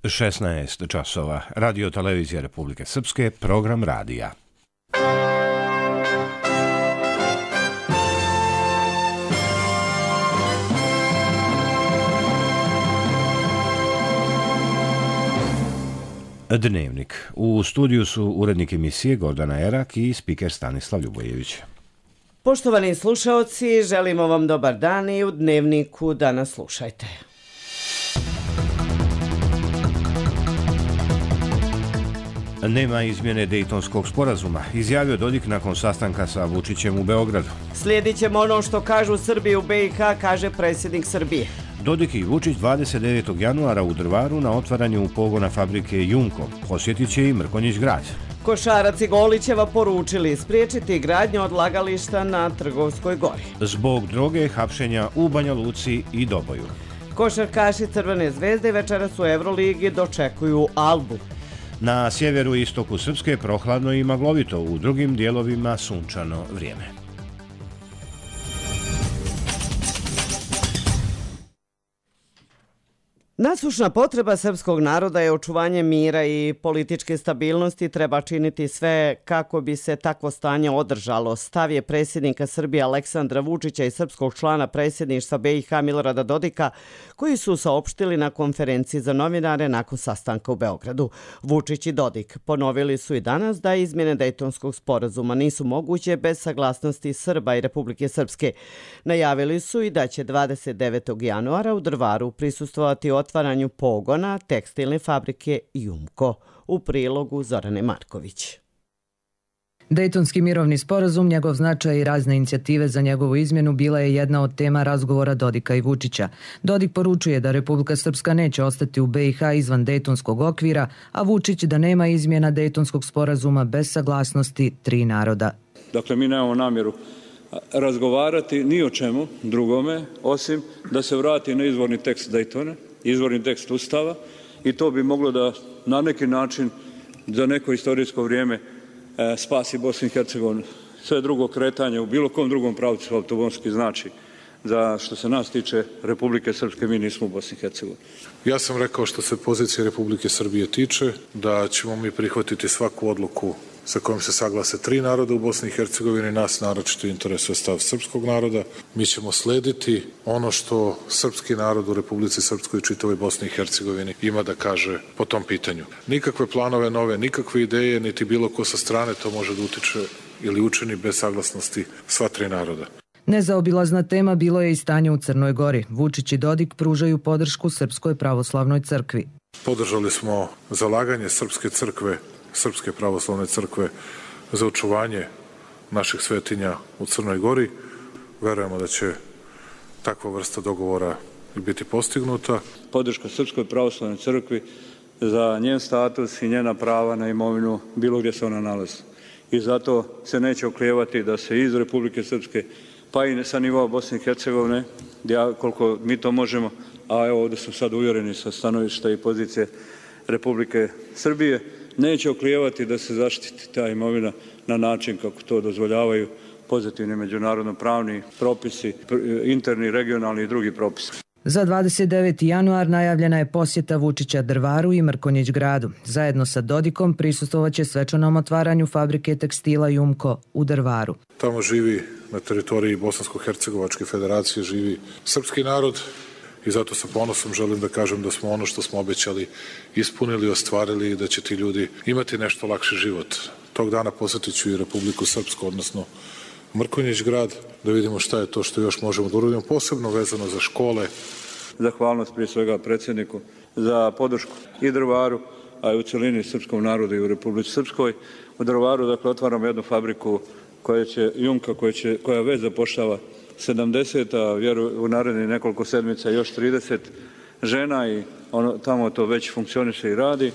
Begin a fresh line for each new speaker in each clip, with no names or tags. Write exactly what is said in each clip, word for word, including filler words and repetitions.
šesnaest časova. Radio Televizija Republike Srpske, program radija. Dnevnik. U studiju su urednik emisije Gordana Erak i spiker Stanislav Ljubojević.
Poštovani slušaoci, želimo vam dobar dan i u Dnevniku danas slušajte.
Nema izmjene Dejtonskog sporazuma, izjavio Dodik nakon sastanka sa Vučićem u Beogradu.
Slijedit ćemo ono što kažu Srbi u B i H, kaže predsjednik Srbije.
Dodik i Vučić dvadeset devetog januara u Drvaru na otvaranju pogona fabrike Jumko. Posjetit će i Mrkonjić grad.
Košarac i Golićeva poručili spriječiti gradnju odlagališta na Trgovskoj gori.
Zbog droge hapšenja u Banja Luci i Doboju.
Košarkaši Crvene zvezde večeras u Euroligi dočekuju Albu.
Na sjeveru i istoku Srpske prohladno i maglovito, u drugim dijelovima sunčano vrijeme.
Nasušna potreba srpskog naroda je očuvanje mira i političke stabilnosti, treba činiti sve kako bi se takvo stanje održalo. Stav je predsjednika Srbije Aleksandra Vučića i srpskog člana predsjedništva B i H Milorada Dodika, koji su saopštili na konferenciji za novinare nakon sastanka u Beogradu. Vučić i Dodik ponovili su i danas da izmjene Dejtonskog sporazuma nisu moguće bez saglasnosti Srba i Republike Srpske. Najavili su i da će dvadeset devetog januara u Drvaru prisustvovati otvaranju pogona tekstilne fabrike Jumko. U prilogu Zorane Marković.
Dejtonski mirovni sporazum, njegov značaj i razne inicijative za njegovu izmjenu bila je jedna od tema razgovora Dodika i Vučića. Dodik poručuje da Republika Srpska neće ostati u B i H izvan Dejtonskog okvira, a Vučić da nema izmjena Dejtonskog sporazuma bez saglasnosti tri naroda.
Dakle, mi nemamo namjeru razgovarati ni o čemu drugome, osim da se vrati na izvorni tekst Dejtona, izvorni tekst Ustava, i to bi moglo da na neki način za neko istorijsko vrijeme e, spasi Bosnu i Hercegovinu. Sve drugo kretanje u bilo kom drugom pravcu autobomski znači da što se nas tiče Republike Srpske mi nismo u Bosni i Hercegovini.
Ja sam rekao što se pozicije Republike Srbije tiče da ćemo mi prihvatiti svaku odluku sa kojom se saglase tri naroda u Bosni i Hercegovini, nas naročito interesuje stav srpskog naroda. Mi ćemo slediti ono što srpski narod u Republici Srpskoj i čitavoj Bosni i Hercegovini ima da kaže po tom pitanju. Nikakve planove nove, nikakve ideje, niti bilo ko sa strane to može da utiče ili učini bez saglasnosti sva tri naroda.
Nezaobilazna tema bilo je i stanje u Crnoj Gori. Vučić i Dodik pružaju podršku Srpskoj pravoslavnoj crkvi.
Podržali smo zalaganje Srpske crkve, Srpske pravoslavne crkve za očuvanje naših svetinja u Crnoj Gori. Verujemo da će takva vrsta dogovora biti postignuta.
Podrška Srpskoj pravoslavnoj crkvi za njen status i njena prava na imovinu bilo gdje se ona nalazi. I zato se neće oklijevati da se iz Republike Srpske, pa i sa nivoa Bosne i Hercegovine, koliko mi to možemo, a evo ovdje su sad uvjereni sa stanovišta i pozicije Republike Srbije, neće oklijevati da se zaštiti ta imovina na način kako to dozvoljavaju pozitivni međunarodno pravni propisi, interni, regionalni i drugi propisi.
Za dvadeset deveti januar najavljena je posjeta Vučića Drvaru i Mrkonjić gradu. Zajedno sa Dodikom prisustvovaće svečanom otvaranju fabrike tekstila Jumko u Drvaru.
Tamo živi, na teritoriji Bosansko-Hercegovačke federacije, živi srpski narod. I zato sa ponosom želim da kažem da smo ono što smo obećali ispunili, ostvarili i da će ti ljudi imati nešto lakši život. Tog dana posjetit ću i Republiku Srpsku, odnosno Mrkonjić grad, da vidimo šta je to što još možemo da uradimo, posebno vezano za škole.
Zahvalnost prije svega predsjedniku za podršku i Drvaru, a i u celini srpskom narodu i u Republici Srpskoj. U Drvaru, dakle, otvaramo jednu fabriku koja će, Jumka, koja, će, koja već zapošljava sedamdeset, a vjerujem u narednih nekoliko sedmica još trideset žena i ono, tamo to već funkcioniše i radi.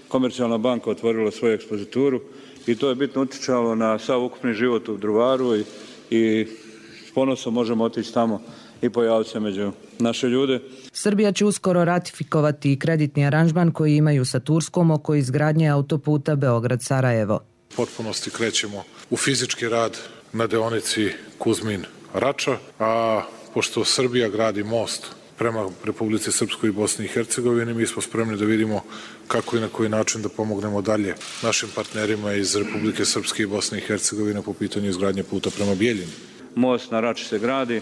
Komercijalna banka otvorila svoju ekspozituru i to je bitno utjecalo na sav ukupni život u Drvaru i, i s ponosom možemo otići tamo i pojaviti se među naše ljude.
Srbija će uskoro ratifikovati i kreditni aranžman koji imaju sa Turskom oko izgradnje autoputa Beograd-Sarajevo.
U potpunosti krećemo u fizički rad na deonici Kuzmin Rača, a pošto Srbija gradi most prema Republici Srpskoj i Bosni i Hercegovini. Mi smo spremni da vidimo kako i na koji način da pomognemo dalje našim partnerima iz Republike Srpske i Bosne i Hercegovine po pitanju izgradnje puta prema Bijeljini.
Most na Rači se gradi.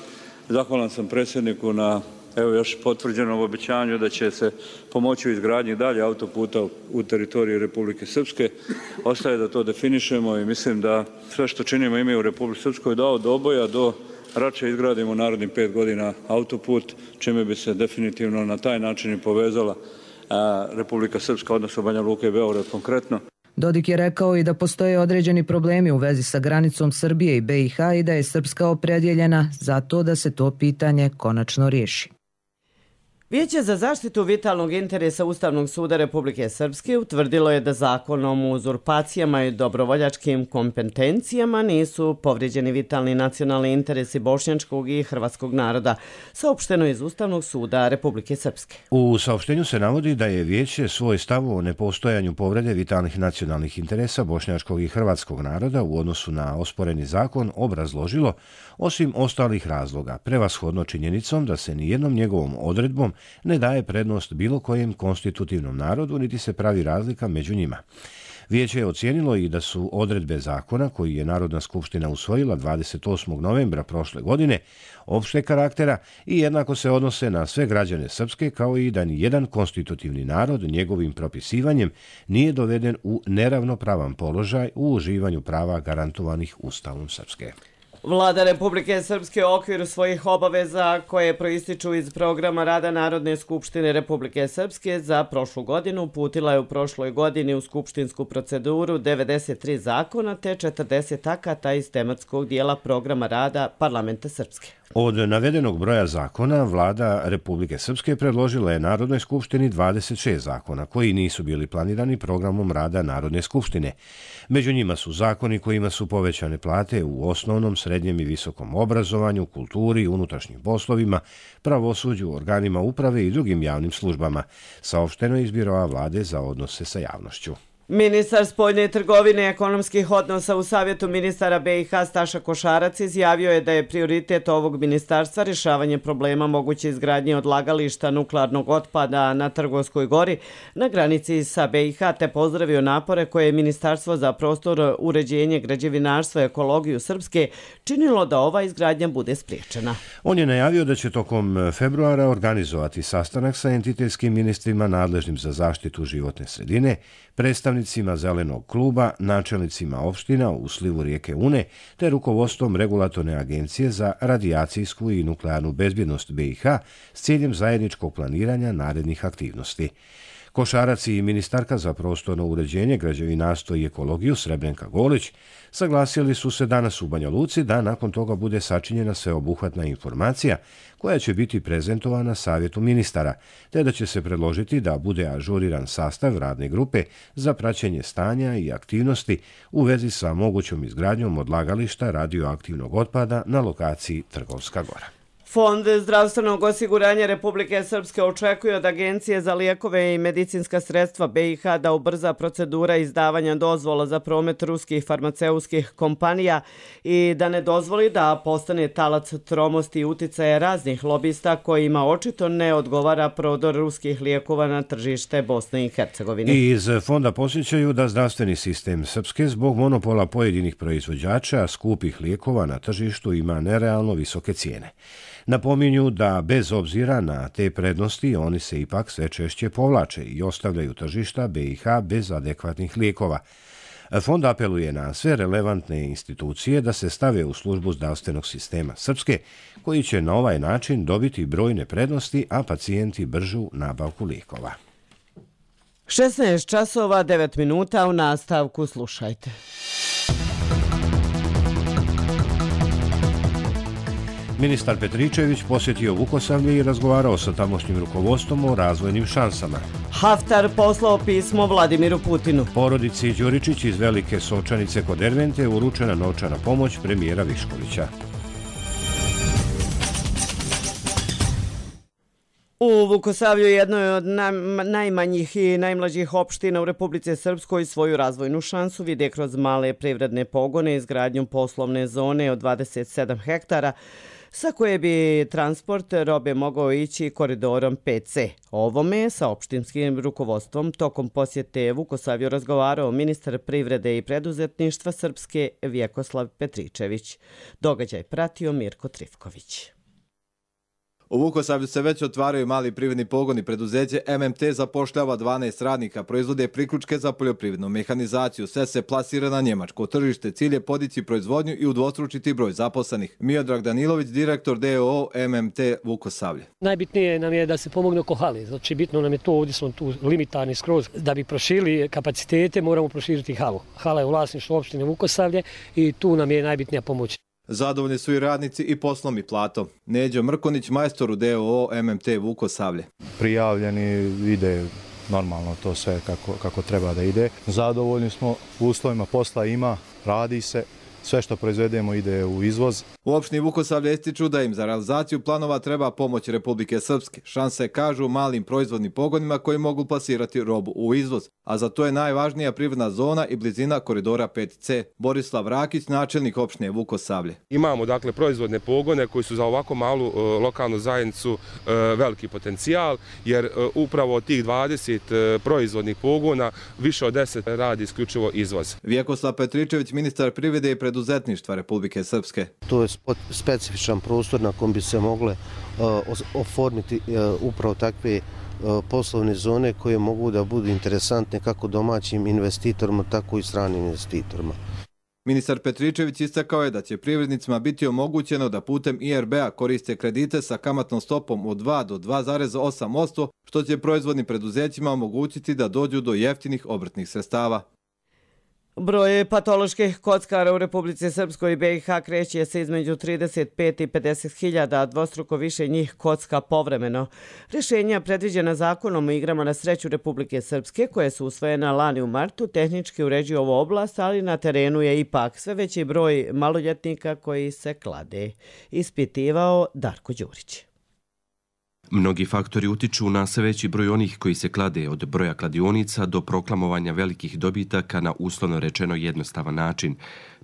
Zahvalan sam predsjedniku na evo još potvrđenom obećanju da će se pomoći u izgradnji dalje autoputa u teritoriji Republike Srpske. Ostaje da to definišemo i mislim da sve što činimo ime u Republike Srpskoj da od Oboja do Rače izgradimo narednih pet godina autoput, čime bi se definitivno na taj način i povezala a, Republika Srpska, odnosno Banja Luka i Beograd konkretno.
Dodik je rekao i da postoje određeni problemi u vezi sa granicom Srbije i B i H i da je Srpska opredjeljena za to da se to pitanje konačno riješi.
Vijeće za zaštitu vitalnog interesa Ustavnog suda Republike Srpske utvrdilo je da zakonom o uzurpacijama i dobrovoljačkim kompetencijama nisu povrijeđeni vitalni nacionalni interesi bošnjačkog i hrvatskog naroda, saopšteno iz Ustavnog suda Republike Srpske.
U saopštenju se navodi da je vijeće svoj stav o nepostojanju povrede vitalnih nacionalnih interesa bošnjačkog i hrvatskog naroda u odnosu na osporeni zakon obrazložilo, osim ostalih razloga, prevashodno činjenicom da se nijednom njegovom odredbom ne daje prednost bilo kojem konstitutivnom narodu, niti se pravi razlika među njima. Vijeće je ocijenilo i da su odredbe zakona koji je Narodna skupština usvojila dvadeset osmog novembra prošle godine opšte karaktera i jednako se odnose na sve građane Srpske, kao i da ni jedan konstitutivni narod njegovim propisivanjem nije doveden u neravnopravan položaj u uživanju prava garantovanih Ustavom Srpske.
Vlada Republike Srpske u okviru svojih obaveza koje proističu iz programa rada Narodne skupštine Republike Srpske za prošlu godinu uputila je u prošloj godini u skupštinsku proceduru devedeset tri zakona te četrdeset akata iz tematskog dijela programa rada Parlamenta Srpske.
Od navedenog broja zakona, Vlada Republike Srpske predložila je Narodnoj skupštini dvadeset šest zakona koji nisu bili planirani programom rada Narodne skupštine. Među njima su zakoni kojima su povećane plate u osnovnom, srednjem i visokom obrazovanju, kulturi, unutrašnjim poslovima, pravosuđu, organima uprave i drugim javnim službama, saopšteno iz Biroa Vlade za odnose sa javnošću.
Ministar spoljne trgovine i ekonomskih odnosa u Savjetu ministara B i H Staša Košarac izjavio je da je prioritet ovog ministarstva rješavanje problema moguće izgradnje odlagališta nuklearnog otpada na Trgovskoj gori na granici sa B i H te pozdravio napore koje je Ministarstvo za prostor, uređenje, građevinarstvo i ekologiju Srpske činilo da ova izgradnja bude spriječena.
On je najavio da će tokom februara organizovati sastanak sa entitetskim ministrima nadležnim za zaštitu životne sredine, predstavnicima Zelenog kluba, načelnicima opština u slivu rijeke Une te rukovodstvom Regulatorne agencije za radijacijsku i nuklearnu bezbjednost B i H s ciljem zajedničkog planiranja narednih aktivnosti. Košarac i ministarka za prostorno uređenje, građevinarstvo i ekologiju Srebrenka Golić saglasili su se danas u Banja Luci da nakon toga bude sačinjena sveobuhvatna informacija koja će biti prezentovana Savjetu ministara, te da će se predložiti da bude ažuriran sastav radne grupe za praćenje stanja i aktivnosti u vezi sa mogućom izgradnjom odlagališta radioaktivnog otpada na lokaciji Trgovska gora.
Fond zdravstvenog osiguranja Republike Srpske očekuje od Agencije za lijekove i medicinska sredstva B i H da ubrza procedura izdavanja dozvola za promet ruskih farmaceutskih kompanija i da ne dozvoli da postane talac tromosti i uticaja raznih lobista kojima očito ne odgovara prodor ruskih lijekova na tržište Bosne i Hercegovine.
I iz fonda posjećaju da zdravstveni sistem Srpske zbog monopola pojedinih proizvođača skupih lijekova na tržištu ima nerealno visoke cijene. Napominju da bez obzira na te prednosti oni se ipak sve češće povlače i ostavljaju tržišta B i H bez adekvatnih lijekova. Fond apeluje na sve relevantne institucije da se stave u službu zdravstvenog sistema Srpske, koji će na ovaj način dobiti brojne prednosti, a pacijenti bržu nabavku lijekova.
šesnaest časova devet minuta, u nastavku slušajte.
Ministar Petričević posjetio Vukosavlje i razgovarao sa tamošnjim rukovodstvom o razvojnim šansama.
Haftar poslao pismo Vladimiru Putinu.
Porodici Đuričić iz Velike Sovčanice kod Ervente uručena novčana pomoć premijera Viškovića.
U Vukosavlju, jednoj od najmanjih i najmlađih opština u Republici Srpskoj, svoju razvojnu šansu vide kroz male privredne pogone, izgradnju poslovne zone od dvadeset sedam hektara, sa koje bi transport robe mogao ići koridorom pet ce. O ovome je sa opštinskim rukovodstvom tokom posjete Vukosavlju razgovarao ministar privrede i preduzetništva Srpske Vjekoslav Petričević. Događaj pratio Mirko Trifković.
U Vukosavlju se već otvaraju mali privredni pogoni. Preduzeće em em te zapošljava dvanaest radnika, proizvode priključke za poljoprivrednu mehanizaciju. Sve se plasira na njemačko tržište. Cilj je podići proizvodnju i udvostručiti broj zaposlenih. Miodrag Danilović, direktor de o o em em te Vukosavlje.
Najbitnije nam je da se pomogne oko hale. Znači, bitno nam je to, ovdje smo tu limitarni skroz. Da bi proširili kapacitete, moramo proširiti halu. Hala je u vlasništvu opštine Vukosavlje i tu nam je najbitnija pomoć.
Zadovoljni su i radnici i poslom i platom. Neđo Mrkonić, majstor u de o o em em te Vukosavlje.
Prijavljeni, ide normalno to sve kako, kako treba da ide. Zadovoljni smo, uslovima posla ima, radi se. Sve što proizvedemo ide u izvoz.
U opštini Vukosavlje ističu da im za realizaciju planova treba pomoć Republike Srpske. Šanse kažu malim proizvodnim pogonima koji mogu plasirati robu u izvoz, a za to je najvažnija privredna zona i blizina koridora pet ce. Borislav Rakić, načelnik opštine Vukosavlje.
Imamo dakle proizvodne pogone koji su za ovako malu uh, lokalnu zajednicu uh, veliki potencijal, jer uh, upravo od tih dvadeset uh, proizvodnih pogona više od deset radi isključivo izvoz.
Vjekoslav Petričević, ministar privrede i preduzetništva Republike Srpske.
To je specifičan prostor na kom bi se mogle uh, oformiti uh, upravo takve uh, poslovne zone koje mogu da budu interesantne kako domaćim investitorima, tako i stranim investitorima.
Ministar Petričević istakao je da će privrednicima biti omogućeno da putem i er be a koriste kredite sa kamatnom stopom od dva do dva zarez osam posto, što će proizvodnim preduzećima omogućiti da dođu do jeftinih obrtnih sredstava.
Broj patoloških kockara u Republici Srpskoj i be i ha kreće se između trideset pet i pedeset hiljada, a dvostruko više njih kocka povremeno. Rješenja predviđena zakonom o igrama na sreću Republike Srpske, koje su usvojena lani u martu, tehnički uređuju ovu oblast, ali na terenu je ipak sve veći broj maloljetnika koji se klade. Ispitivao Darko Đurić.
Mnogi faktori utiču na sve veći broj onih koji se klade, od broja kladionica do proklamovanja velikih dobitaka na uslovno rečeno jednostavan način.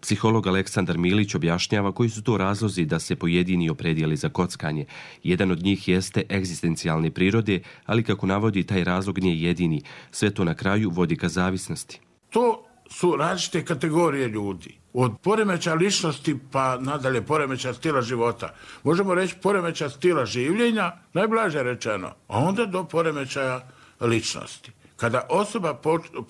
Psiholog Aleksandar Milić objašnjava koji su to razlozi da se pojedini opredijeli za kockanje. Jedan od njih jeste egzistencijalne prirode, ali kako navodi, taj razlog nije jedini. Sve to na kraju vodi ka zavisnosti.
To su različite kategorije ljudi. Od poremeća ličnosti pa nadalje poremeća stila života. Možemo reći poremeća stila življenja, najblaže rečeno, a onda do poremećaja ličnosti. Kada osoba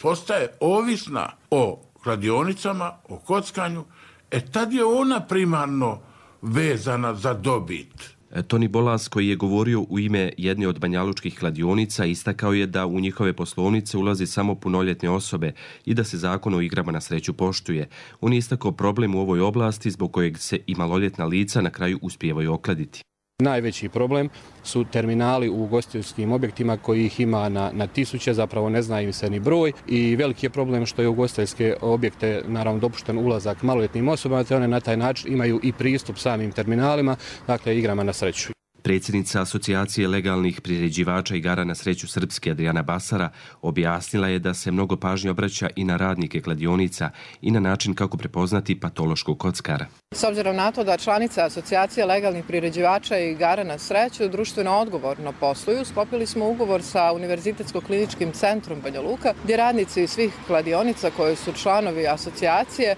postaje ovisna o kladionicama, o kockanju, e tad je ona primarno vezana za dobit.
Toni Bolas, koji je govorio u ime jedne od banjalučkih kladionica, istakao je da u njihove poslovnice ulazi samo punoljetne osobe i da se zakon o igrama na sreću poštuje. On je istakao problem u ovoj oblasti zbog kojeg se i maloljetna lica na kraju uspijevaju okladiti.
Najveći problem su terminali u ugostiteljskim objektima koji ih ima na, na tisuće, zapravo ne zna im se ni broj, i veliki je problem što je u ugostiteljske objekte naravno dopušten ulazak maloljetnim osobama, te one na taj način imaju i pristup samim terminalima, dakle igrama na sreću.
Predsjednica Asocijacije legalnih priređivača igara na sreću Srpske Adriana Basara objasnila je da se mnogo pažnje obraća i na radnike kladionica i na način kako prepoznati patološkog kockara.
S obzirom na to da članice Asocijacije legalnih priređivača igara na sreću društveno odgovorno posluju, sklopili smo ugovor sa Univerzitetsko-kliničkim centrom Banja Luka, gdje radnici svih kladionica koji su članovi asocijacije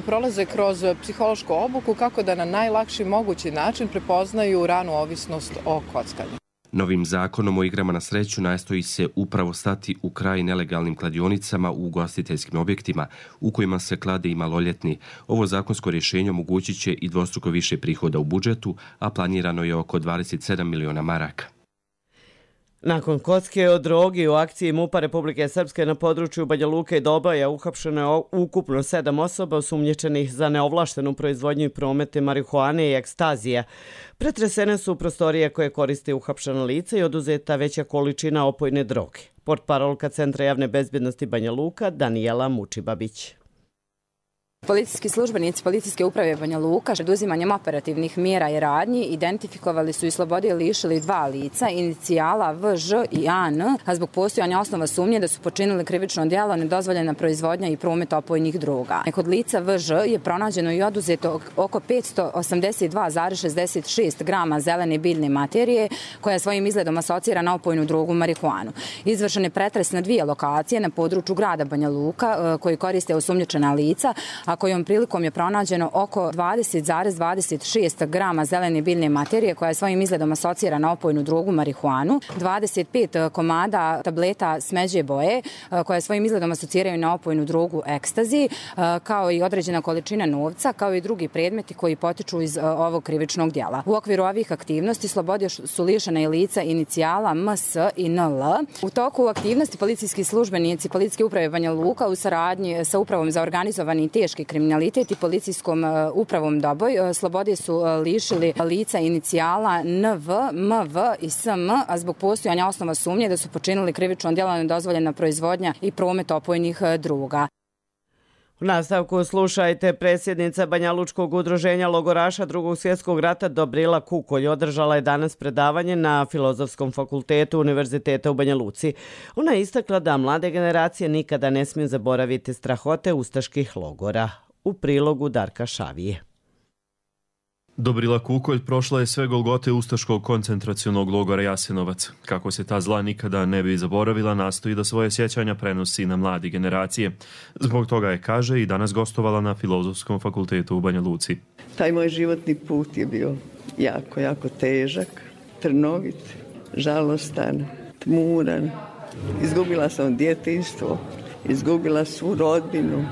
prolaze kroz psihološku obuku kako da na najlakši mogući način prepoznaju ranu ovisnost o kockanju.
Novim zakonom o igrama na sreću nastoji se upravo stati u kraj nelegalnim kladionicama u ugostiteljskim objektima u kojima se klade i maloljetni. Ovo zakonsko rješenje omogućit će i dvostruko više prihoda u budžetu, a planirano je oko dvadeset sedam miliona maraka.
Nakon kocke o drogi u akciji MUP-a Republike Srpske na području Banja Luke i Doboja ukapšeno je ukupno sedam osoba osumnjičenih za neovlaštenu proizvodnju i promete marihuane i ekstazija. Pretresene su prostorije koje koriste uhapšena lica i oduzeta veća količina opojne droge. Portparolka Centra javne bezbjednosti Banja Luka Danijela Mučibabić.
Policijski službenici Policijske uprave Banja Luka preduzimanjem operativnih mjera i radnji identifikovali su i slobodili lišili dva lica, inicijala V Ž i A N, a zbog postojanja osnova sumnje da su počinili krivično djelo nedozvoljena proizvodnja i promet opojnih droga. Kod lica V Ž je pronađeno i oduzeto oko petsto osamdeset dva zarez šezdeset šest grama zelene biljne materije koja svojim izgledom asocira na opojnu drogu marihuanu. Izvršen je pretres na dvije lokacije na području grada Banja Luka koji koriste osumnjičena lica, a kojom prilikom je pronađeno oko dvadeset zarez dvadeset šest grama zelene biljne materije koja je svojim izgledom asocira na opojnu drogu marihuanu, dvadeset pet komada tableta smeđe boje koja svojim izgledom asociraju na opojnu drogu ekstazi, kao i određena količina novca, kao i drugi predmeti koji potiču iz ovog krivičnog djela. U okviru ovih aktivnosti slobode su lišena i lica inicijala M S i N L. U toku aktivnosti policijski službenici Policijske uprave Banja Luka u saradnji sa Upravom za organizovani i teški kriminalitet i Policijskom upravom Doboj slobode su lišili lica inicijala N V, M V i S M, a zbog postojanja osnova sumnje da su počinili krivično djelo nedozvoljena proizvodnja i promet opojnih droga.
U nastavku slušajte, predsjednica Banjalučkog udruženja logoraša Drugog svjetskog rata Dobrila Kukolj održala je danas predavanje na Filozofskom fakultetu Univerziteta u Banja Luci. Ona je istakla da mlade generacije nikada ne smiju zaboraviti strahote ustaških logora. U prilogu Darka Šavije.
Dobrila Kukolj prošla je sve golgote ustaškog koncentracionog logora Jasenovac. Kako se ta zla nikada ne bi zaboravila, nastoji da svoje sjećanja prenosi na mladi generacije. Zbog toga je, kaže, i danas gostovala na Filozofskom fakultetu u Banja Luci.
Taj moj životni put je bio jako, jako težak, trnovit, žalostan, tmuran. Izgubila sam djetinjstvo, izgubila svu rodbinu,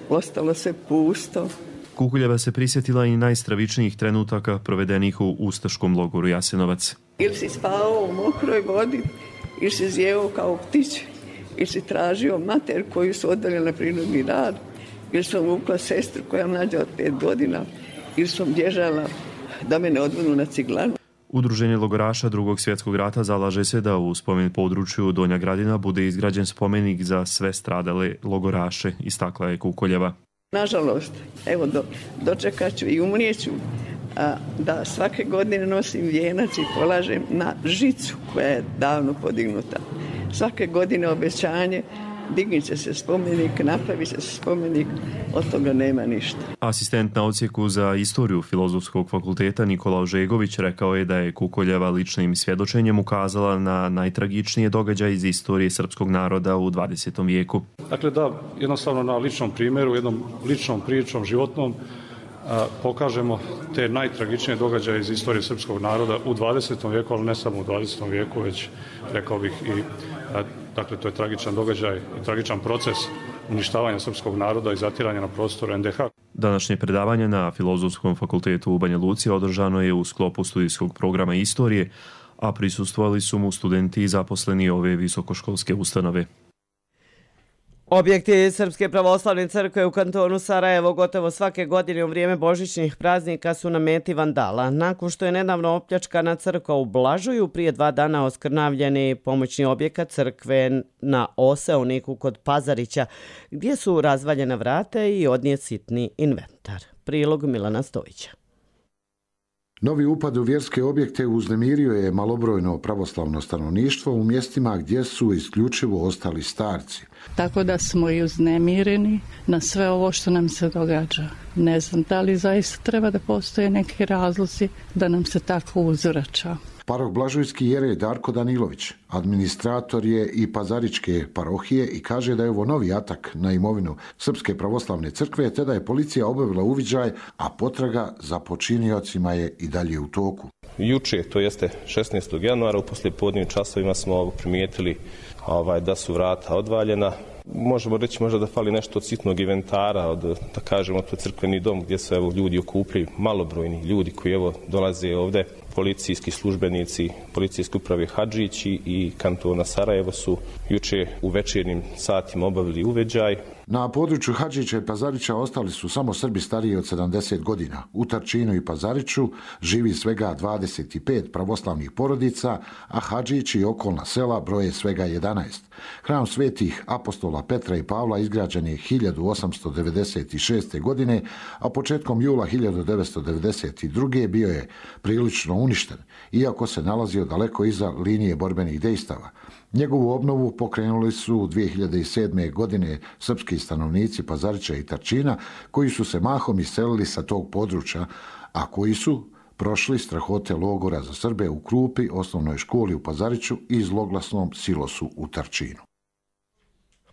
ostalo se pusto.
Kukuljeva se prisjetila i najstravičnijih trenutaka provedenih u ustaškom logoru Jasenovac.
Ili si spavao u mokroj vodi, ili si zjevao kao ptić, ili si tražio mater koju su odveli na prinudni rad, ili sam vukla sestru koja mlađa od pet godina, ili sam bježala da me ne odvedu na ciglanu.
Udruženje logoraša Drugog svjetskog rata zalaže se da u spomen području Donja Gradina bude izgrađen spomenik za sve stradale logoraše, istakla je Kukoljeva.
Nažalost, evo do, dočekat ću i umrijeću a, da svake godine nosim vijenac i polažem na žicu koja je davno podignuta. Svake godine obećanje, dignit će se spomenik, napravi će se spomenik, od toga nema ništa.
Asistent na odsjeku za istoriju Filozofskog fakulteta Nikola Ožegović rekao je da je Kukoljeva ličnim svjedočenjem ukazala na najtragičnije događaje iz istorije srpskog naroda u dvadesetom vijeku.
Dakle, da jednostavno na ličnom primjeru, jednom ličnom pričom, životnom, a, pokažemo te najtragičnije događaje iz istorije srpskog naroda u dvadesetom vijeku, ali ne samo u dvadesetom vijeku, već rekao bih i a, dakle, to je tragičan događaj i tragičan proces uništavanja srpskog naroda i zatiranja na prostoru en de ha.
Današnje predavanje na Filozofskom fakultetu u Banja Luci održano je u sklopu studijskog programa istorije, a prisustvovali su mu studenti i zaposleni ove visokoškolske ustanove.
Objekti Srpske pravoslavne crkve u kantonu Sarajevo gotovo svake godine u vrijeme božićnih praznika su na meti vandala. Nakon što je nedavno opljačkana crkva u Blažuju, prije dva dana oskrnavljeni pomoćni objekat crkve na Oseoniku kod Pazarića, gdje su razvaljena vrata i odnijet sitni inventar. Prilog Milana Stojića.
Novi upad u vjerske objekte uznemirio je malobrojno pravoslavno stanovništvo u mjestima gdje su isključivo ostali starci.
Tako da smo i uznemireni na sve ovo što nam se događa. Ne znam da li zaista treba da postoje neki razlozi da nam se tako uzvraća.
Paroh Blažujski jerej Darko Danilović, administrator je i Pazaričke parohije i kaže da je ovo novi atak na imovinu Srpske pravoslavne crkve, te da je policija obavila uviđaj, a potraga za počiniocima je i dalje u toku.
Juče, to jeste šesnaestog januara, u poslijepodnevnim časovima smo primijetili ovaj, da su vrata odvaljena. Možemo reći možda da fali nešto od sitnog inventara, od, da kažemo, to je crkveni dom gdje se evo, ljudi okupljaju, malobrojni ljudi koji evo, dolaze ovdje. Policijski službenici Policijske uprave Hadžići i kantona Sarajevo su juče u večernjim satima obavili uveđaj.
Na području Hadžića i Pazarića ostali su samo Srbi stariji od sedamdeset godina. U Tarčinu i Pazariću živi svega dvadeset pet pravoslavnih porodica, a Hadžić i okolna sela broje svega jedanaest. Hram svetih apostola Petra i Pavla izgrađen je hiljadu osamsto devedeset šeste. godine, a početkom jula hiljadu devetsto devedeset druge. bio je prilično uništen, iako se nalazio daleko iza linije borbenih dejstava. Njegovu obnovu pokrenuli su dvije hiljade sedme. godine srpski stanovnici Pazarića i Tarčina, koji su se mahom iselili sa tog područja, a koji su prošli strahote logora za Srbe u Krupi, osnovnoj školi u Pazariću i zloglasnom silosu u Tarčinu.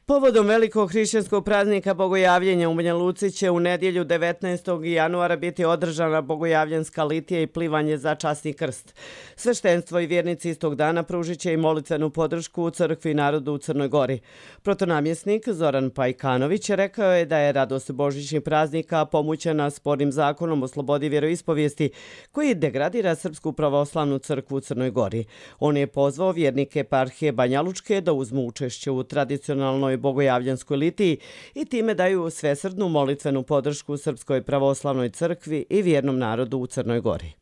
Povodom velikog hrišćanskog praznika Bogojavljenja u Banja Luci će u nedjelju devetnaestog januara biti održana Bogojavljanska litija i plivanje za časni krst. Sveštenstvo i vjernici istog dana pružit će i molitvenu podršku u crkvi i narodu u Crnoj Gori. Protonamjesnik Zoran Pajkanović rekao je da je radost božićnih praznika pomućena spornim zakonom o slobodi vjeroispovijesti koji degradira Srpsku pravoslavnu crkvu u Crnoj Gori. On je pozvao vjernike eparhije Banja Lučke da uzmu učešće u tradicionalnoj Bogojavljanskoj litiji i time daju svesrdnu molitvenu podršku Srpskoj pravoslavnoj crkvi i vjernom narodu u Crnoj Gori.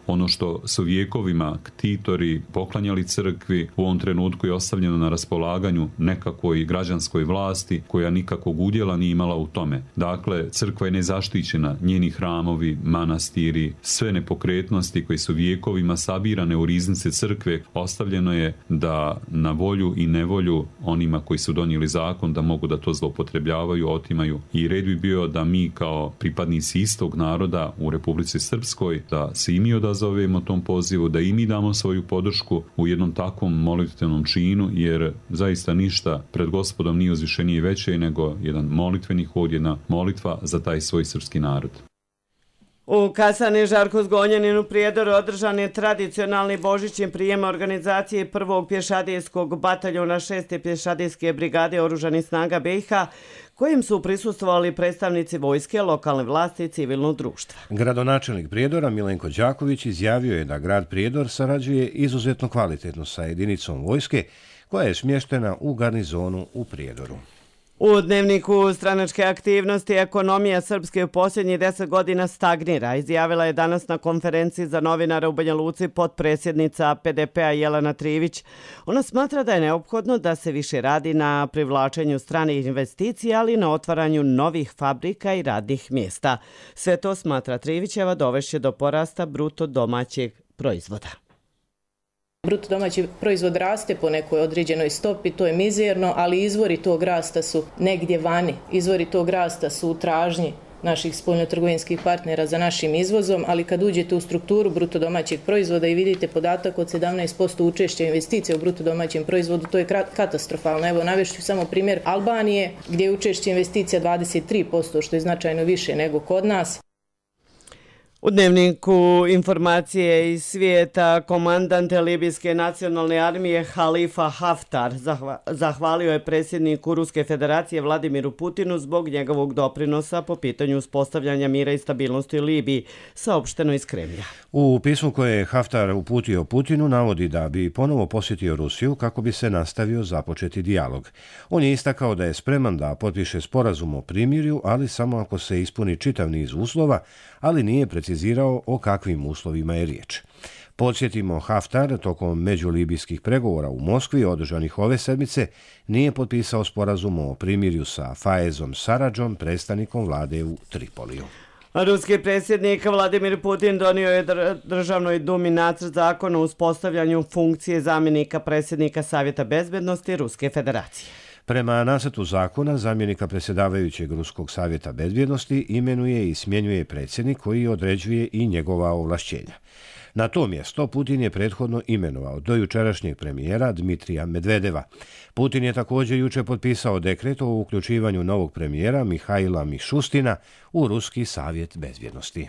Ono što su vjekovima ktitori poklanjali crkvi u ovom trenutku je ostavljeno na raspolaganju nekakvoj građanskoj vlasti koja nikakvog udjela nije imala u tome. Dakle, crkva je nezaštićena, njeni hramovi, manastiri, sve nepokretnosti koje su vjekovima sabirane u riznice crkve, ostavljeno je da na volju i nevolju onima koji su donijeli zakon da mogu da to zloupotrebljavaju, otimaju. I red bi bio da mi kao pripadnici istog naroda u Republici Srpskoj da se i mi odazovemo zovemo tom pozivu, da i mi damo svoju podršku u jednom takvom molitvenom činu, jer zaista ništa pred Gospodom nije uzvišenije i veće nego jedan molitveni hod, jedna molitva za taj svoj srpski narod.
U kasarni Žarko Zgonjanin u Prijedoru održan je tradicionalni božićni prijem organizacije prvog pješadijskog bataljona šeste pješadijske brigade oružanih snaga B i H, kojim su prisustvovali predstavnici vojske, lokalne vlasti i civilnog društva.
Gradonačelnik Prijedora Milenko Đaković izjavio je da grad Prijedor sarađuje izuzetno kvalitetno sa jedinicom vojske koja je smještena u garnizonu u Prijedoru.
U dnevniku stranačke aktivnosti ekonomija Srpske u posljednjih deset godina stagnira, izjavila je danas na konferenciji za novinare u Banja Luci potpredsjednica P D P-a Jelena Trivić. Ona smatra da je neophodno da se više radi na privlačenju stranih investicija, ali i na otvaranju novih fabrika i radnih mjesta. Sve to, smatra Trivićeva, dovešće do porasta bruto domaćeg proizvoda.
Bruto domaći proizvod raste po nekoj određenoj stopi, to je mizerno, ali izvori tog rasta su negdje vani. Izvori tog rasta su u tražnji naših spoljnotrgovinskih partnera za našim izvozom, ali kad uđete u strukturu bruto domaćeg proizvoda i vidite podatak od sedamnaest posto učešća investicija u bruto domaćem proizvodu, to je katastrofalno. Evo, navešću samo primjer Albanije, gdje je učešće investicija dvadeset tri posto, što je značajno više nego kod nas.
U dnevniku informacije iz svijeta komandant Libijske nacionalne armije Halifa Haftar zahvalio je predsjedniku Ruske federacije Vladimiru Putinu zbog njegovog doprinosa po pitanju uspostavljanja mira i stabilnosti u Libiji, saopšteno iz Kremlja.
U pismu koje je Haftar uputio Putinu navodi da bi ponovo posjetio Rusiju kako bi se nastavio započeti dijalog. On je istakao da je spreman da potpiše sporazum o primirju, ali samo ako se ispuni čitav niz uslova, ali nije precizirao o kakvim uslovima je riječ. Podsjetimo, Haftar tokom međulibijskih pregovora u Moskvi održanih ove sedmice nije potpisao sporazum o primirju sa Faezom Saradžom, predstavnikom vlade u Tripoliju.
Ruski predsjednik Vladimir Putin donio je državnoj dumi nacrt zakona o uspostavljanju funkcije zamjenika predsjednika Savjeta bezbednosti Ruske federacije.
Prema nacrtu zakona, zamjenika predsjedavajućeg Ruskog savjeta bezbjednosti imenuje i smjenjuje predsjednik koji određuje i njegova ovlašćenja. Na to mjesto Putin je prethodno imenovao do jučerašnjeg premijera Dmitrija Medvedeva. Putin je također juče potpisao dekret o uključivanju novog premijera Mihaila Mišustina u Ruski savjet bezbjednosti.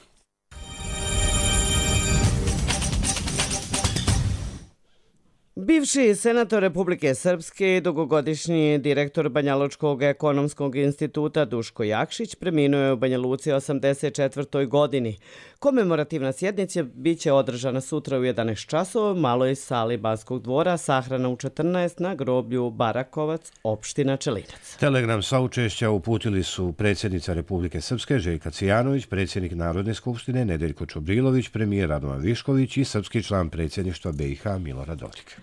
Bivši senator Republike Srpske i dugogodišnji direktor Banjalučkog ekonomskog instituta Duško Jakšić preminuo je u Banja Luci osamdeset četvrtoj godini. Komemorativna sjednica biće održana sutra u jedanaest časova u maloj sali Banskog dvora, sahrana u četrnaest na groblju Barakovac, opština Čelinac.
Telegram saučešća uputili su predsjednica Republike Srpske Željka Cijanović, predsjednik Narodne skupštine Nedeljko Čobrilović, premijer Radovan Višković i srpski član predsjedništva B i H Milorad Dodik.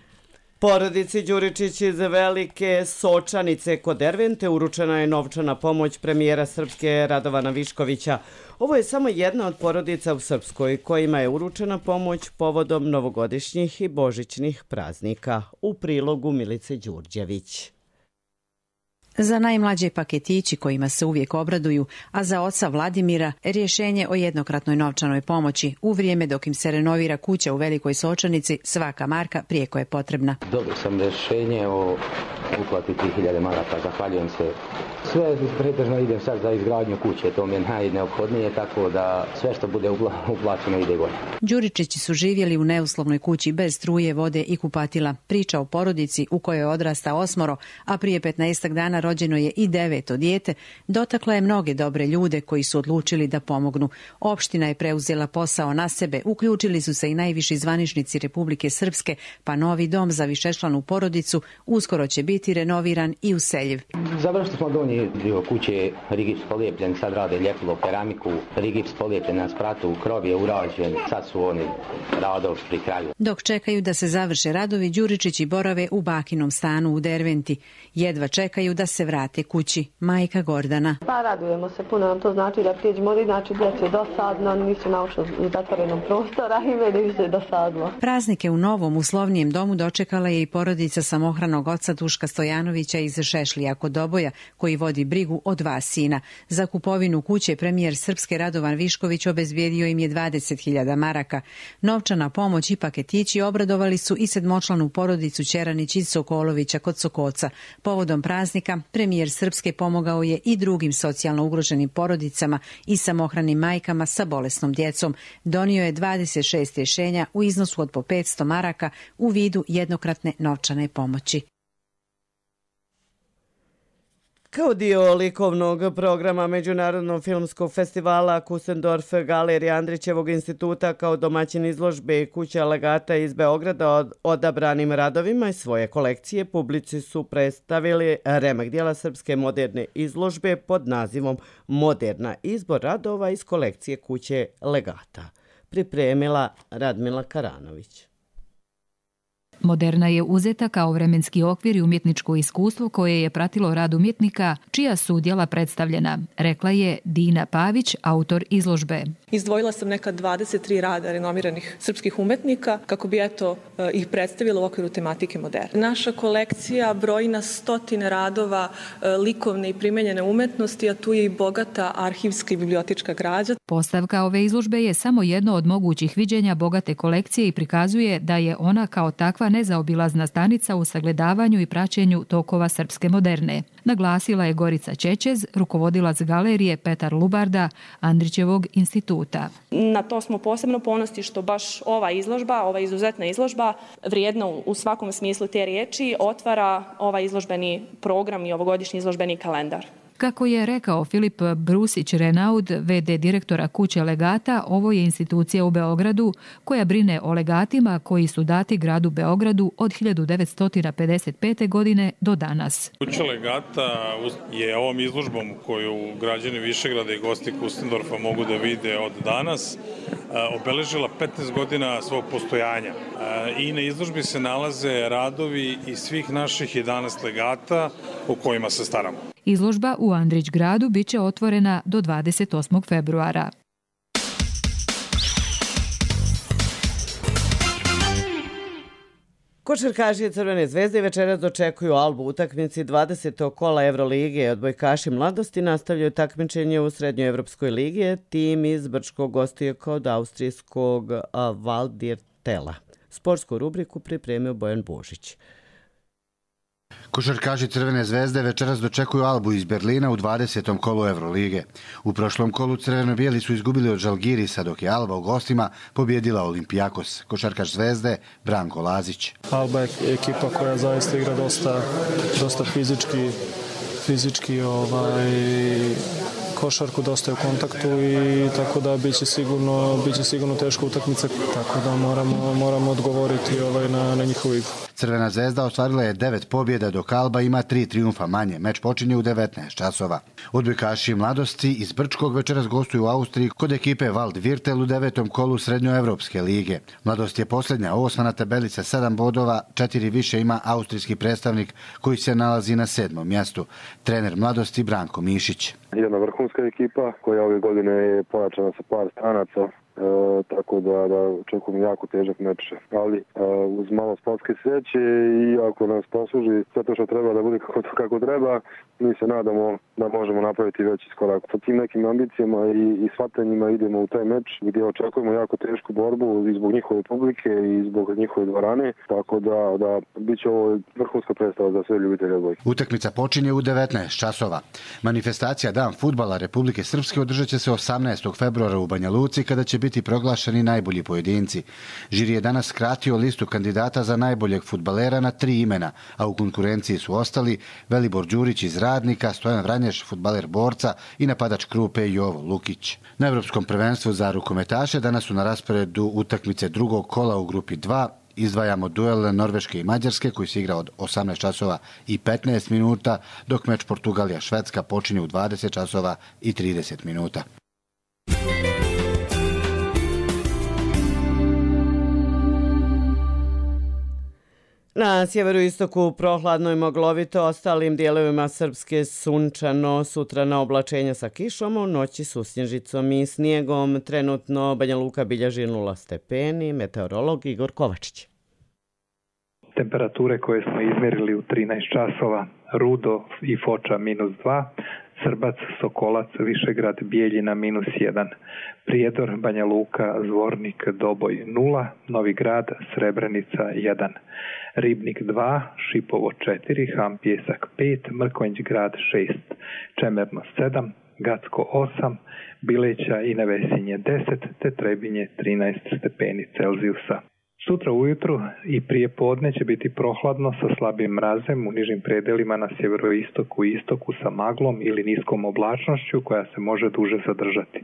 Porodici Đuričić iz Velike Sočanice kod Dervente uručena je novčana pomoć premijera Srpske Radovana Viškovića. Ovo je samo jedna od porodica u Srpskoj kojima je uručena pomoć povodom novogodišnjih i božićnih praznika. U prilogu Milice Đurđević.
Za najmlađe paketići kojima se uvijek obraduju, a za oca Vladimira rješenje o jednokratnoj novčanoj pomoći u vrijeme dok im se renovira kuća u Velikoj Sočanici, svaka marka prijeko je potrebna.
Dobio sam rješenje o uplati tri hiljade maraka, zahvaljujem se. Sve pretežno idem sad za izgradnju kuće, to mi je najneophodnije, tako da sve što bude uplaćeno ide gore.
Đuričići su živjeli u neuslovnoj kući bez struje, vode i kupatila. Priča o porodici u kojoj odrasta osmoro, a prije petnaestak dana rođeno je i deveto dijete, dotakla je mnoge dobre ljude koji su odlučili da pomognu. Opština je preuzela posao na sebe, uključili su se i najviši zvaničnici Republike Srpske, pa novi dom za višečlanu porodicu uskoro će biti renoviran i useljiv.
Završili smo donji dio kuće, rigips polijepljen, sad rade ljepilo keramiku, rigips polijepljen na spratu, krov je urađen, sad su oni radovi pri kraju.
Dok čekaju da se završe radovi, Đuričići borave u bakinom stanu u Derventi. Jedva čekaju da se vrate kući. Majka Gordana.
Pa radujemo se puno, nam to znači da prijeđemo, ali znači djece je dosadno, nisu naučno u zatvorenom prostora i meni više dosadno.
Praznike u novom uslovnijem domu dočekala je i porodica samohranog oca Duška Stojanovića iz Šešlija kod Doboja, koji vodi brigu o dva sina. Za kupovinu kuće premijer Srpske Radovan Višković obezbijedio im je dvadeset hiljada maraka. Novčana pomoć i paketići obradovali su i sedmočlanu porodicu Ćeranić iz Sokolovića kod Sokoca. Povodom praznika premijer Srpske pomogao je i drugim socijalno ugroženim porodicama i samohranim majkama sa bolesnom djecom. Donio je dvadeset šest rješenja u iznosu od po petsto maraka u vidu jednokratne novčane pomoći.
Kao dio likovnog programa Međunarodnog filmskog festivala Kusendorf Galerija Andrićevog instituta kao domaćin izložbe Kuća legata iz Beograda od odabranim radovima iz svoje kolekcije publici su predstavili remek dijela srpske moderne izložbe pod nazivom Moderna, izbor radova iz kolekcije Kuće legata. Pripremila Radmila Karanović.
Moderna je uzeta kao vremenski okvir i umjetničko iskustvo koje je pratilo rad umjetnika, čija su djela predstavljena, rekla je Dina Pavić, autor izložbe.
Izdvojila sam neka dvadeset tri rada renomiranih srpskih umetnika kako bi eto ih predstavila u okviru tematike moderne. Naša kolekcija broji na stotine radova likovne i primenjene umetnosti, a tu je i bogata arhivska i bibliotička građa.
Postavka ove izložbe je samo jedno od mogućih viđenja bogate kolekcije i prikazuje da je ona kao takva nezaobilazna stanica u sagledavanju i praćenju tokova srpske moderne. Naglasila je Gorica Čečez, rukovodilac galerije Petar Lubarda Andrićevog instituta.
Na to smo posebno ponosni što baš ova izložba, ova izuzetna izložba, vrijedna u svakom smislu te riječi, otvara ovaj izložbeni program i ovogodišnji izložbeni kalendar.
Kako je rekao Filip Brusić-Renaud, ve de direktora Kuće legata, ovo je institucija u Beogradu koja brine o legatima koji su dati gradu Beogradu od hiljadu devetsto pedeset pete. godine do danas.
Kuća legata je ovom izložbom koju građani Višegrada i gosti Kustendorfa mogu da vide od danas obeležila petnaest godina svog postojanja. I na izložbi se nalaze radovi iz svih naših jedanaest legata o kojima se staramo.
Izložba u Andrić gradu biće otvorena do dvadeset osmog februara.
Košarkaši Crvene zvezde večeras dočekuju Albu u utakmici dvadesetog kola Evrolige. Odbojkaši mladosti nastavljaju takmičenje u Srednjoevropskoj ligi. Tim iz Brčkog gostuje kod austrijskog Valdirtela. Sportsku rubriku pripremio Bojan Božić.
Košarkaši Crvene zvezde večeras dočekuju Albu iz Berlina u dvadesetom kolu Evrolige. U prošlom kolu crveno-bijeli su izgubili od Žalgirisa, dok je Alba u gostima pobjedila Olimpijakos. Košarkaš Zvezde Branko Lazić.
Alba je ekipa koja zaista igra dosta, dosta fizički, fizički ovaj, košarku, dosta je u kontaktu i tako da biće sigurno, biće sigurno teška utakmica, tako da moramo, moramo odgovoriti ovaj, na, na njihovu igru.
Crvena zvezda ostvarila je devet pobjeda, dok Alba ima tri trijumfa manje. Meč počinje u devetnaest časova. Odbojkaši Mladosti iz Brčkog večeras gostuju u Austriji kod ekipe Wald Virtel u devetom kolu Srednjoevropske lige. Mladost je posljednja, osma na tabeli sa sedam bodova, četiri više ima austrijski predstavnik koji se nalazi na sedmom mjestu. Trener Mladosti Branko Mišić.
Jedna vrhunska ekipa koja ove godine je pojačana sa par stranaca. E, tako da, da očekujem jako težak meč, ali e, uz malo sportske sreće i ako nas posluži sve to što treba da bude kako, kako treba, mi se nadamo da možemo napraviti veći skorak. Sa tim nekim ambicijama i, i shvatanjima idemo u taj meč gdje očekujemo jako tešku borbu i zbog njihove publike i zbog njihove dvorane, tako da, da bit će ovo vrhunska predstava za sve ljubitelje odbojke.
Utakmica počinje u devetnaest časova. Manifestacija Dan fudbala Republike Srpske održat će se osamnaestog februara u Banja Luci kada će biti proglašeni najbolji pojedinci. Žiri je danas skratio listu kandidata za najboljeg fudbalera na tri imena, a u konkurenciji su ostali Velibor Đurić iz Radnika, Stojan Vranješ, fudbaler Borca i napadač Krupe Jovo Lukić. Na Evropskom prvenstvu za rukometaše danas su na rasporedu utakmice drugog kola u grupi dva. Izdvajamo duel Norveške i Mađarske koji se igra od osamnaest časova i petnaest minuta, dok meč Portugalija-Švedska počinje u dvadeset časova i trideset minuta.
Na sjeveroistoku prohladno i moglovito, ostalim dijelovima Srpske sunčano, sutra na oblačenja sa kišom, u noći su snježicom i snijegom. Trenutno Banja Luka bilježi nula stepeni, meteorolog Igor Kovačić.
Temperature koje smo izmjerili u trinaest časova, Rudo i Foča minus dva, Srbac, Sokolac, Višegrad, Bijeljina minus jedan, Prijedor, Banja Luka, Zvornik, Doboj nula, Novi Grad, Srebrenica jedan, Ribnik dva, Šipovo četiri, Ham Pjesak pet, Mrkonjić Grad šest, Čemerno sedam, Gacko osam, Bileća i Nevesinje deset, te Trebinje trinaest stepeni Celzijusa. Sutra ujutru i prije podne će biti prohladno sa slabim mrazem u nižim predelima na sjeveroistoku i istoku sa maglom ili niskom oblačnošću koja se može duže zadržati.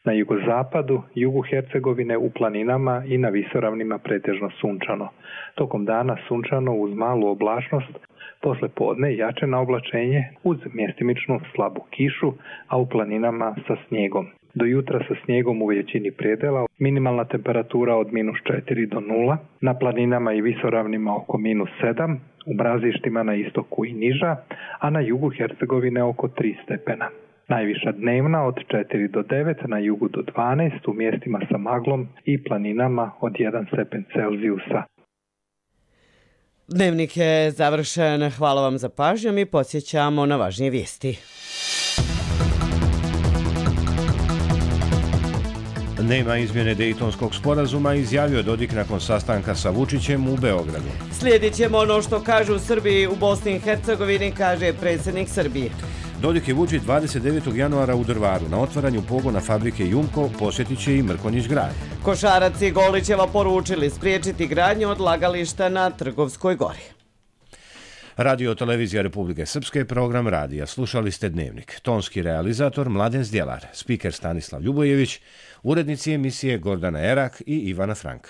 Na jugozapadu, jugu Hercegovine, u planinama i na visoravnima pretežno sunčano. Tokom dana sunčano uz malu oblačnost, posle podne jače na oblačenje uz mjestimičnu slabu kišu, a u planinama sa snijegom. Do jutra sa snijegom u većini predela, minimalna temperatura od minus četiri do nula, na planinama i visoravnima oko minus sedam, u mrazištima na istoku i niža, a na jugu Hercegovine oko tri stepena. Najviša dnevna od četiri do devet, na jugu do dvanaest, u mjestima sa maglom i planinama od jedan stepen Celzijusa.
Dnevnik je završen. Hvala vam za pažnju i podsjećamo na važnije vijesti.
Nema izmjene Dejtonskog sporazuma, izjavio Dodik nakon sastanka sa Vučićem u Beogradu.
Slijedit ćemo ono što kažu Srbi u Bosni i Hercegovini, kaže predsjednik Srbije.
Dodik i Vučić dvadeset devetog januara u Drvaru na otvaranju pogona fabrike Jumko posjetit će i Mrkonjić Grad.
Košarac i Golićeva poručili spriječiti gradnju odlagališta na Trgovskoj gori.
Radio Televizija Republike Srpske, program radija. Slušali ste Dnevnik. Tonski realizator Mladen Zdjelar, spiker Stanislav Ljubojević, urednici emisije Gordana Erak i Ivana Frank.